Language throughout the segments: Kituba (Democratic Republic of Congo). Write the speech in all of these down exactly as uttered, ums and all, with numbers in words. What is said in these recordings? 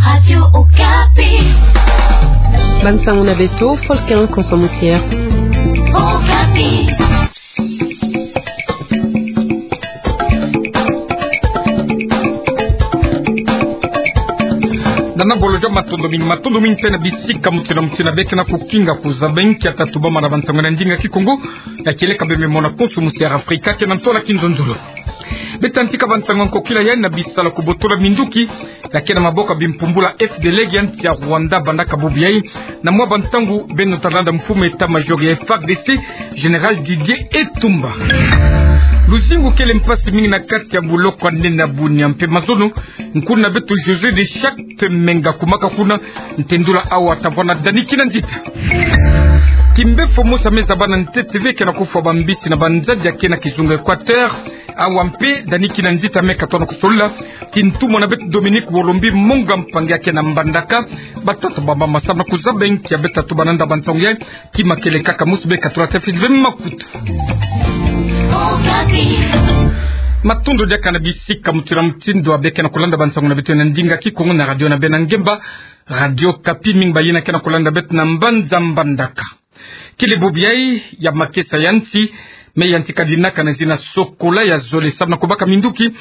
Radio Okapi. Bansango na beto, Folkin Konso Musier. Okapi. Nana bolo dia matondo mingi, matondo mingi mpe na bisika mutindu na mutindu beke na kukinga kuzaba nkia tatubama na bansango na ndinga Kikongo, ya kieleka beme mona Konso Musier Afrika, ke na ntola kinzonzolo. Beta ntika bansango ya nkokila ya na bisalu ya kubotola minduki, ya ke na maboko ya bimpumbulu ya F D L R ya nsi ya Rwanda bandaka bubu yai, na mwa bantangu beno talanda mfumu état-major ya F A R D C, Général Didier Etumba. Luzingu kele mpasi mingi na kati ya boloko ya nene ya Bunia mpe mazono, nkuna beto José de Charte Menga kumaka kuna, ntendula awa tavwanda Dani Kinanzita. Kimbefo mosi me zaba na ntete ve ke na kufwa bambisi na banzadi ya ke na kizunga Équateur, awa mpe Dani Kinanzita me katono kusolola, ti ntumwa na beto Dominique Wolombi Monga Mpangi ya ke na Mbandaka, batata baba masamu na kuzaba nkia beta tuba nanda bansango ya, ti makele kaka musu beka tula tafiti ve makutu. Matondo diaka na bisika mutindu na mutindu beke na kulanda bansango na beto na ndinga Kikongo na radio na beno ya ngemba, Radio Okapi, mingi bayina ke na kulanda beto na mbanza Mbandaka. Kele bubu yai ya makesa ya nsi, me yantika dinaka na zina Sokola ya zole samu na kubaka minduki,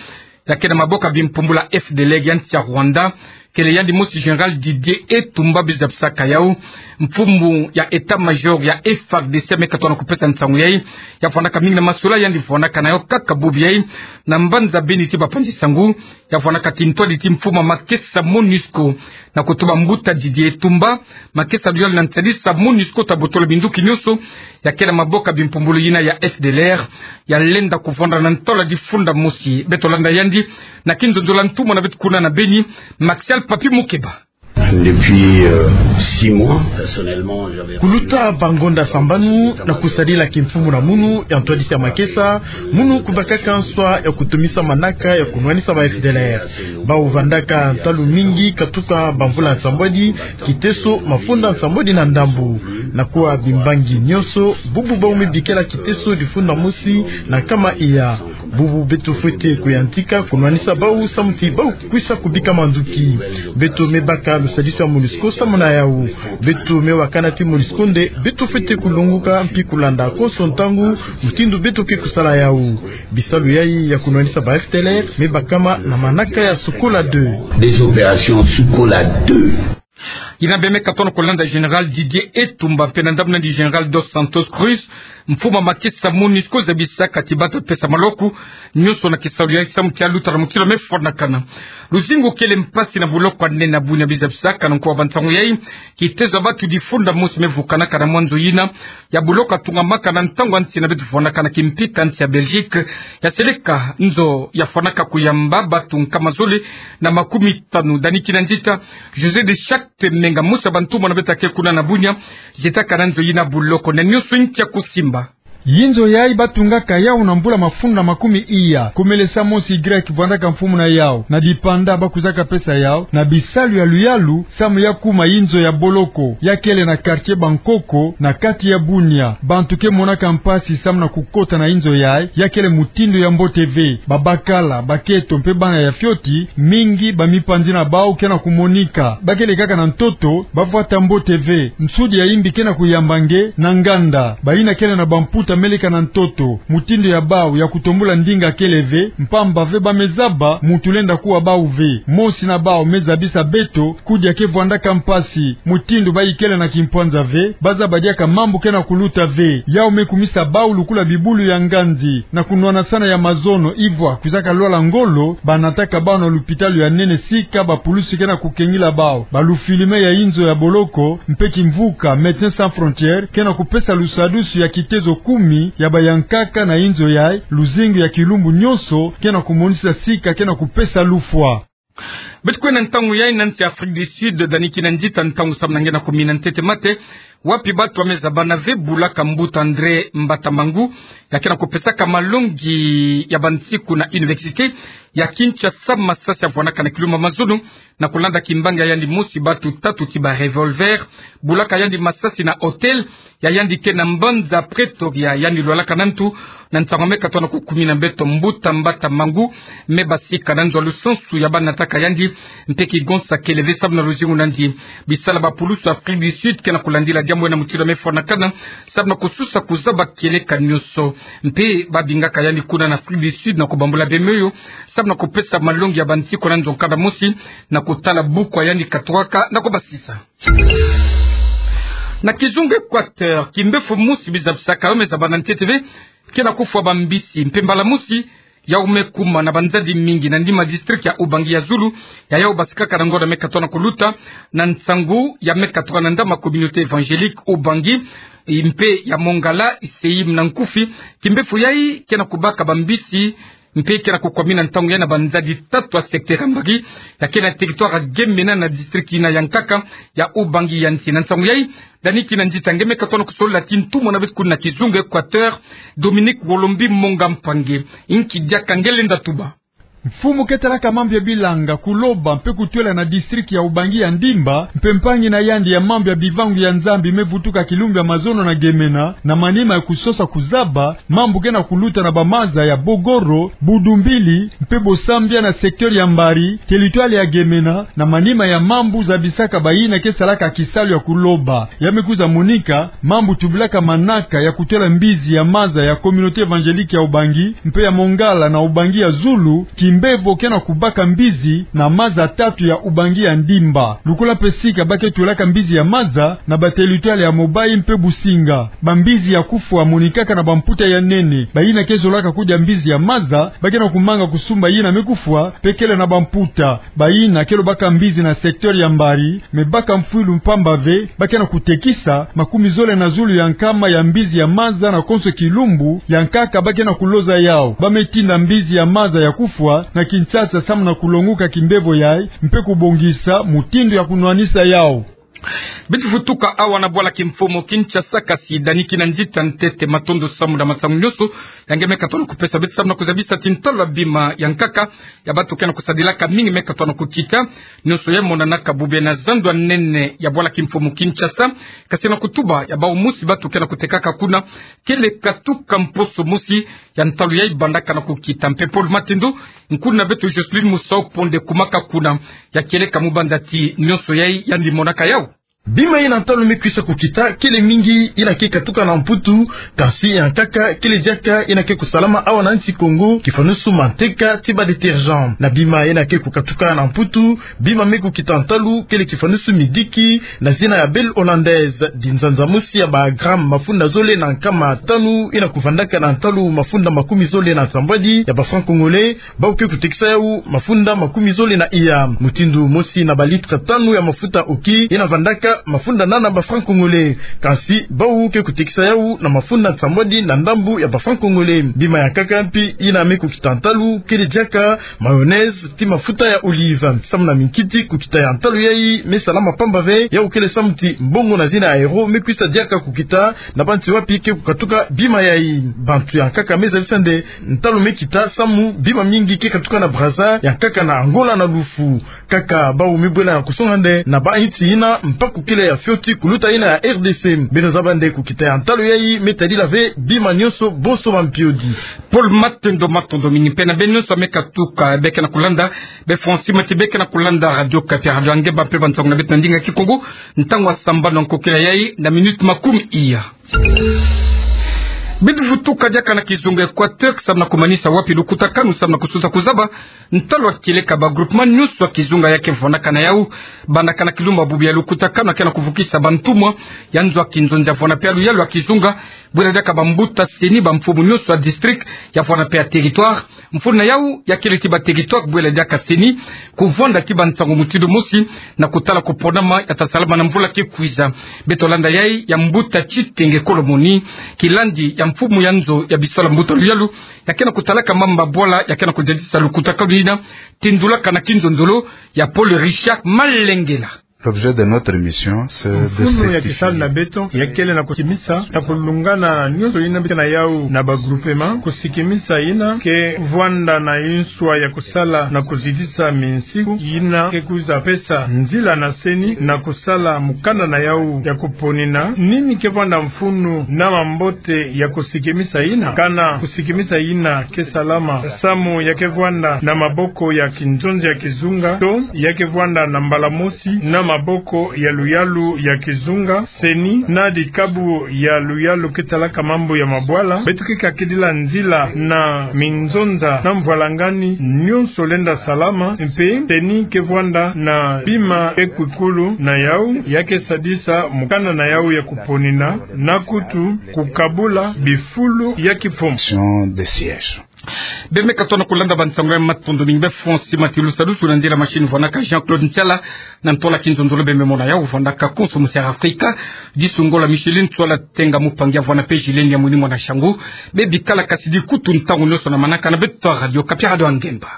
ya ke na maboko ya bimpumbulu ya F D L R ya nsi ya Rwanda, kele yandi mosi Général Didier Etumba beno zabisaka yau, mfumu ya état-major ya F A R D C me katono kupesa nsangu yai, ya vwandaka mingi na masula yandi vwandaka na yo kaka bubu yai, na mbanza beni ti bapanzi sangu, ya vwandaka ti ntwadi ti mfumu ya makesa MONUSCO, na kutuba mbuta Didier Etumba, makesa ya luyalu na nsadisa MONUSCO ta botola minduki nyonso ya ke na maboko ya bimpumbulu yina ya F D L R, ya lenda kuvwanda na ntola difunda mosi. Beto landa yandi na kinzonzolo na ntumwa na beto kuna na Beni, Maxial Papi Mukeba. Depuis, euh, six mois, personnellement, j'avais... Kuluta bangonda sambanu, na kusadila kimfumu na munu ya ntwadisi ya makesa, munu kubakaka nswa ya kutumisa manaka ya kunwanisa ba F D L R. Bau vandaka ntalu mingi katuka bamvula nsambwadi, kiteso mafunda nsambwadi na ndambu. Na kuwa bimbangi nyonso, bubu bau me bikela kiteso difunda mosi na nkama iya. Bubu beto fwete kuyantika kunwanisa bau samu ti bau kwisa kubika manduki. Beto me baka lusadisu ya MONUSCO samu na yau. Beto me wakana ti MONUSCO nde beto fwete kulonguka mpi kulanda konso ntangu mutindu beto ke kusala yau. Bisalu yai ya kunwanisa ba F D L R me bakama na manaka ya Sokola deux. Des opérations Sokola deux. Yina bê me katono kulanda Général Didier Etumba mpe na ndambu na yandi Général Dos Santos Cruz, mfumu ya makesa MONUSCO, zabisaka ti bata pesa maloku nyonso na kisalu yai samu ti aluta na mutindu me fwanakana. Luzingu kele mpasi na boloko ya nene ya Bunia, bê zabisaka na nko wa bansangu yai, kitezo ya batu difunda mosi me vukanaka na mwa nzo yina ya boloko ya tungamaka na ntangu ya nsi na beto vwandaka na kimpika nsi ya Belgique, ya seleka nzo ya fwanaka kuyamba batu nkama zole na makumi tanu. Dani Kinanzita, José de Charte Menga, mosi ya bantumwa na beto ya ke kuna na Bunia, zietaka na nzo yina boloko, na nyonso nki ya kusimba. Yinzo yai batungaka yau na mbula mafunda makumi iya. Kumelesa mosi Grec vwandaka mfumu na yau, na dipanda bakwizaka pesa yau, na bisalu ya luyalu, samu ya kuma yinzo ya boloko, ya kele na quartier Bankoko, na kati ya Bunia. Bantu ke monaka mpasi samu na kukota na yinzo yai, ya kele mutindu ya mbote ve. Babakala, baketo mpe bana ya fioti, mingi ba mipanzi na bau ke na kumonika. Ba kele kaka na ntoto, ba vwata mbote ve. Nsudi ya yimbi ke na kuyamba nge na nganda. Bayina kele na bamputa me leka na ntoto. Mutindu ya bau ya kutombula ndinga kele ve, mpamba ve ba me zaba muntu lenda kuwa bau ve. Mosi na bau me zabisa beto, kudia ke vwandaka mpasi. Mutindu bayi kele na kimpwanza ve, ba zaba diaka mambu ke na kuluta ve. Yau me kumisa bau lukula bibulu ya nganzi, na kunwanasana ya mazono, ivwa kwizaka lwala ngolo, ba nataka bau na lupitalu ya nene sika bapulusi ke na kukengila bau. Balufilme ya yinzo ya boloko, mpe kimvuka Médecins Sans Frontières ke na kupesa lusadusu ya kitezo kumi ya bayankaka na yinzo yai, luzingu ya kilumbu nyonso ke na kumonisa sika ke na kupesa lufwa. Beto kwenda ntangu yai na nsi Afrique du Sud, Dani Kinanzita, ntangu samu na nge na kumina ntete mate, wapi batu ba me zabana ve bulaka mbuta André Mbatambangu, ya ke na kupesaka malongi ya bansiku na université, ya Kinshasa, masasi yavwanaka na kilumbu ya mazono, na kulanda kimbangi ya yandi mosi batu tatu ti ba revolver, bulaka yandi masasi na hôtel ya yandi ke na mbanza Pretoria, yandi lwalaka na ntu, na ntangu ya me katoka na kukumi na mbeto mbuta mbata mangu, me basika na nzo ya lusansu ya banataka yandi, mpe kigonsa kele ve samu na luzingu na yandi. Bisala ba pulusu ya Afrique du Sud ke na kulandila diambu ena mutindu ya me fwanakana, samu na kususa kuzaba kieleka nyonso. Mpe babingaka yandi kuna na Afrique du Sud na kubambula bembe oyo, samu na kupesa malongi ya bansiku na nzo nkanda mosi, na kutala buku ya yandi katukaka na kubasisa. Na kizunga Équateur, kimbefo mosi bizabisaka yo me zaba na ntete ve, ke na kufwa bambisi, mpe mbala mosi, yau me kuma na banzadi mingi na nima district ya Ubangi ya zulu, ya yau basikaka na ngonda me katoka na kuluta, na nsangu ya me katuka na ndama communauté évangélique Ubangi, mpe ya Mongala, Iseyim na Nkufi, kimbefo yai ke na kubaka bambisi, mpe ke na kukwamina ntangu yai na banzadi tatu ya secteur ya Mbari, ya ke na territoire ya Gemena na district yina ya nkaka ya Ubangi ya nsi. Na nsangu yai, Dani Kinanzita nge me katoka na kusolola ti ntumwa na beto kuna na kizunga Équateur, Dominique Wolombi Monga Mpangi, inki diaka nge lenda tuba. Mfumu ke talaka mambu ya bilanga, kuloba mpe kutwela na district ya Ubangi ya Ndimba, mpe mpangi na yandi ya mambu ya bivangu ya Nzambi me vutuka kilumbu ya mazono na Gemena, na manima ya kusosa kuzaba mambu ke na kuluta na bamaza ya Bogoro, Budumbili, mpe Bosambia na secteur ya Mbari, territoire ya Gemena, na manima ya mambu zabisaka bayina ke salaka kisalu ya kuloba. Ya me kwiza monika, mambu tubilaka manaka ya kutwela mbizi ya maza ya communauté évangélique ya Ubangi, mpe ya Mongala na Ubangi ya zulu, kimbevo ke na kubaka mbizi na maza tatu ya Ubangi ya Ndimba. Lokola mpe sika ba ke twelaka mbizi ya maza na ba territoire ya Mobayi mpe Businga. Bambizi ya kufwa monikaka na bamputa ya nene. Bayina ke zolaka kudia mbizi ya maza, ba ke na kumanga kusumba yina me kufwa, mpe kele na bamputa. Bayina ke lobaka mbizi na secteur ya Mbari, me baka mfwilu mpamba ve, ba ke na kutekisa makumi zole na zulu ya nkama ya mbizi ya maza na konso kilumbu, ya nkaka ba ke na kuloza yau. Ba me tinda mbizi ya maza ya kufwa na Kinshasa samu na kulonguka kimbevo yai, mpe kubongisa mutindu ya kunwanisa yau. Beto vutuka awa na bwala kimfumu Kinshasa, kasi Dani Kinanzita ntete matondo samu na masangu nyonso ya nge me katoka na kupesa beto samu na kuzabisa ti ntalu ya bima ya nkaka ya bantu ke na kusadilaka mingi me katoka na kukita. Nyonso yai monanaka bubu na zandu ya nene ya bwala kimfumu Kinshasa, kasi na kutuba ya bau mosi bantu ke na kutekaka kuna, kele katuka mposo mosi ya ntalu yai bandaka na kukita. Mpe Paul Matendo, nkuna na beto Jocelyne Musau Ponde kumaka kuna, ya kieleka mu banza ti nyonso yai yandi monaka yau. Bima yina ntalu me kwisa kukita, kele mingi yina ke katuka na Mputu, kasi ya nkaka kele diaka yina ke kusalama awa na nsi Kongo, kifanusu manteka ti ba détergent. Na bima yina ke kukatuka na Mputu, bima me kukita ntalu kele kifanusu midiki na zina ya Belle Hollandaise, dinzanza mosi ya ba gramme mafunda zole na nkama tanu yina kuvandaka na ntalu mafunda makumi zole na nsambwadi ya ba francs congolais, bau ke kutekisa yau mafunda makumi zole na iya. Mutindu mosi na ba litre tanu ya mafuta oki yina vandaka mafunda nana ba francs congolais. Kasi bau ke kutekisa yau na mafunda nsambwadi na ndambu ya ba francs congolais. Bima ya nkaka mpi yina me kukita ntalu kele diaka mayonnaise ti mafuta ya olive. Samu na minkiti, kukita ya ntalu yai me salama pamba ve, yau kele samu ti mbongo na zina ya euro me kwisa diaka kukita na bansi wapi ke kukatuka bima yai. Bantu ya nkaka me zabisa nde ntalu me kita samu bima mingi ke katuka na Brazza, ya nkaka na Angola na Lufu. Kaka bau me bwela ya kusonga nde na bansi yina mpaku kele ya fioti kuluta yina ya R D C. Beno zaba nde kukita ya ntalu yai me tadila ve bima nyonso bonso ba mpiodi. Paul Matendo, matondo mingi. Mpe na beno nyonso me katuka, be ke na kulanda, be Francis Mati be ke na kulanda Radio Okapi, radio ya nge ba mpe ba nsangu na beto na ndinga Kikongo. Ntangu ya sambanu ya nkokila yai na minute makumi iya. Beto vutuka diaka na kizunga Équateur, samu na kumanisa wapi lukutakanu, samu na kususa kuzaba ntalu ya kieleka ba groupement nyonso ya kizunga ya ke vwanaka na yau, bandaka na kilumbu ya bubu ya lukutakanu ya ke na kuvukisa ba ntumwa ya nzo ya kinzonzi ya vwana mpe ya luyalu ya kizunga, bwela diaka ba mbuta CENI, ba mfumu nyonso ya district ya vwana mpe ya territoire. Mfunu na yau ya kele ti ba territoire bwela diaka CENI kuvwanda ti ba nsangu mutindu mosi na kutala kuponama ya ta salama na mvula ke kwiza. Beto landa yai ya mbuta Tshitenge Kolomoni, kilandi ya mfumu ya nzo ya bisalu ya mbuta luyalu, ya ke na kutalaka mambu ma bwala ya ke na kudiatisa lukutakanu yina, tindulaka na kinzonzolo ya Paul Richard Malengela. L'objet de notre mission, c'est de... Mfunu ya kisalu na beto ya kele na kusikimisa na kulungana nyonso yina bika na yau na ba groupement. Kusikimisa yina ke vwanda na inswa ya kusala na kuzitisa minsiku yina ke kwiza pesa nzila na CENI na kusala mukanda na yau ya kuponina. Nini ke vwanda mfunu na mambote ya kusikimisa yina? Kana kusikimisa yina ke salama samu ya ke vwanda na maboko ya kinzonzi ya kizunga, to ya ke vwanda na mbala mosi na maboko ya luyalu ya kizunga, CENI, na dikabu ya luyalu ke talaka mambu ya mabwala? Beto ke kakidila nzila na minzonza na mvwalangani nyonso lenda salama, mpe CENI ke vwanda na bima ekwikulu na yau ya ke sadisa mukanda na yau ya kuponina, na kutu kukabula bifulu ya kifo. Mission de siège. Beno me katono kulanda bansango ya matondo mingi. Beno fo nsi matilu sadusu na nzila machine vwanaka Jean-Claude Ntiala, na ntola kinzonzolo beno me mona yau vwanaka konso mu Sierra Africa. Disu ngolo Micheline Tswala Tenga, mupangi ya vwana pe Julien ya mwini mwana Shangu. Beno bikala kasidi kutu ntangu nyonso na manaka na beto Radio Okapi, radio ya ngemba.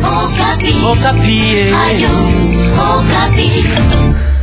Okapi. Okapi, eh. Radio Okapi.